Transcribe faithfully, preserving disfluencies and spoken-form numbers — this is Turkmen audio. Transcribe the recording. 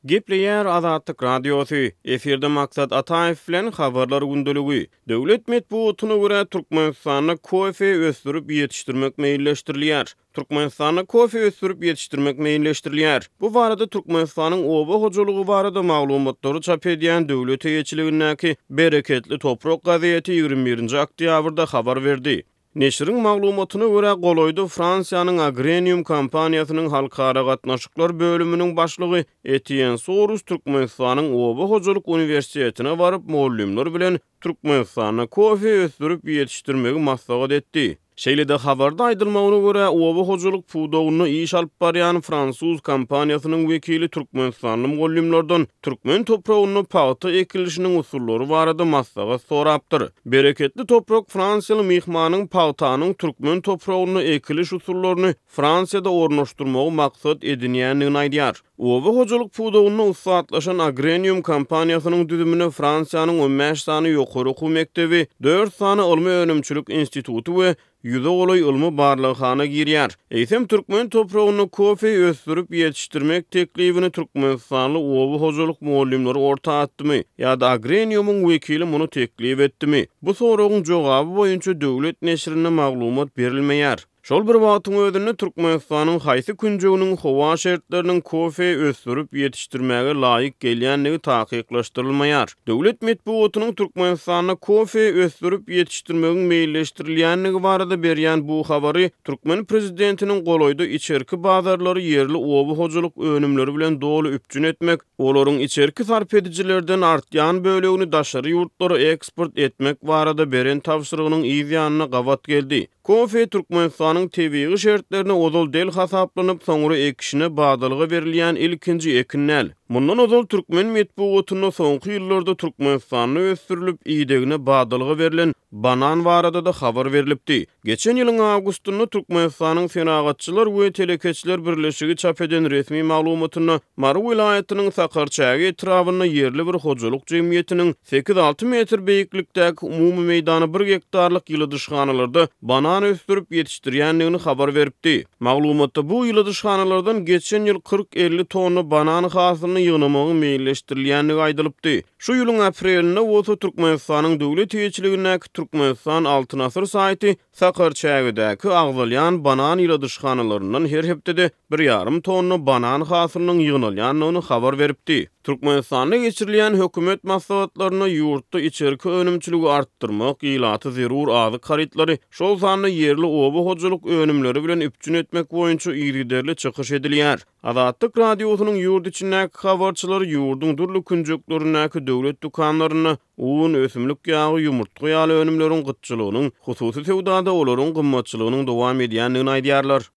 Gepleýär Azatlyk Radiosy, efirde Maksat Ataýew bilen Habarlar gündeligi. Döwlet metbugatyna görä, Türkmenistanda kofe ösdürip ýetişdirmek meýilleşdirilýär. Türkmenistanda kofe ösdürip ýetişdirmek meýilleşdirilýär. Bu barada Türkmenistanyň oba hojalygy barada maglumatlary çap edýän döwlet eýeçiligindäki Bereketli toprak gazeti ýigrimi birinji oktýabrda habar berdi. Neşiriň maglumatyna görä, golaýda Fransiýanyň Agrenium kompaniýasynyň halkara gatnaşyklar bölüminiň başlygy Etýen Sorus Türkmenistanyň Oba hojalyk uniwersitetine baryp, mugallymlar bilen Türkmenistanda kofe ösdürip ýetişdirmegi maslahat etdi. Şeýle-de habarda aýdylmagyna görä, oba hojalyk pudagynda iş alyp barýan fransuz kompaniýasynyň wekili türkmenistanly mugallymlardan türkmen topragynda pagta ekilişiniň usullary barada maslahat sorapdyr. Bereketli toprak fransiýaly myhmanyň pagtanyň türkmen topragynda ekiliş usullaryny Fransiýada ornaşdyrmagy maksat edinýändigini aýdýar. Oba hojalyk pudagynda ussatlaşan Agrenium kompaniýasynyň düzümine Fransiýanyň on bäş sany ýokary okuw mekdebi, dört sany ylmy-önümçilik instituty we ýüze golaý ylmy barlaghana girýär. Eýsem, türkmen topragynda kofe ösdürip ýetişdirmek teklibini türkmenistanly oba hojalyk mugallymlary orta atdymy ýa-da Agreniumyň wekili muny teklip etdimi? Bu soragyň jogaby boýunça döwlet neşirinde maglumat berilmeýär. Şol bir wagtyň özünde Türkmenistanyň haýsy künjeginiň howa şertleriniň kofe ösdürip ýetişdirmäge laýyk gelýändigi takyklaşdyrylmaýar. Döwlet metbugatynyň Türkmenistanda kofe ösdürip ýetişdirmegiň meýilleşdirilýändigi barada berýän bu habary türkmen prezidentiniň golaýda içerki bazarlary ýerli oba hojalyk önümleri bilen doly üpjün etmek, olaryň içerki sarp edijilerden artýan bölegini daşary ýurtlara eksport etmek barada beren tabşyrygynyň yz ýanyna gabat geldi. Kofe Türkmenistanyň tebigy şertlerine ozal del hasaplanyp, soňra ekişine badalga berilýän ilkinji ekin däl. Mundan ozal türkmen metbugatynda soňky ýyllarda Türkmenistanda ösdürilip, idegine badalga berlen banan barada-da habar berlipdi. Geçen ýylyň awgustynda Türkmenistanyň Senagatçylar we telekeçiler birleşigi çap eden resmi maglumatynda Mary welaýatynyň Sakarçäge etrabynda ýerli bir hojalyk jemgyýetiniň sekiz-alty metr beýiklikdäki umumy meýdany bir gektarlyk ýyladyşhanalarda banan ösdürip ýetişdirýändigini habar beripdi. Maglumatda bu ýyladyşhanalardan geçen ýyl kyrk-elli tonna banan hasylyny ýygnamagyň meýilleşdirilýändigi aýdylypdy. Şu ýylyň aprelinde bolsa Türkmenistanyň döwlet eýeçiligindäki Türkmenistan Altyn Asyr saýty Sakarçägedäki agzalýan banan ýyladyşhanalaryndan her hepdede bir ýarym tonna banan hasylynyň ýygnalýandygyny habar beripdi. Türkmenistanda geçirilýän hökümet maslahatlarynda ýurtda içerki önümçiligi artdyrmak, ilaty zerur azyk harytlary, şol sanda ýerli oba hojalyk önümleri bilen üpjün etmek boýunça yzygiderli çykyş edilýär. Azatlyk Radiosynyň ýurt içindäki habarçylary ýurduň dürli künjeklerindäki döwlet dükanlarynda un, ösümlik ýagy, ýumurtga ýaly önümleriň gytçylygynyň, hususy söwdada olaryň gymmatçylygynyň dowam edýändigini aýdýarlar.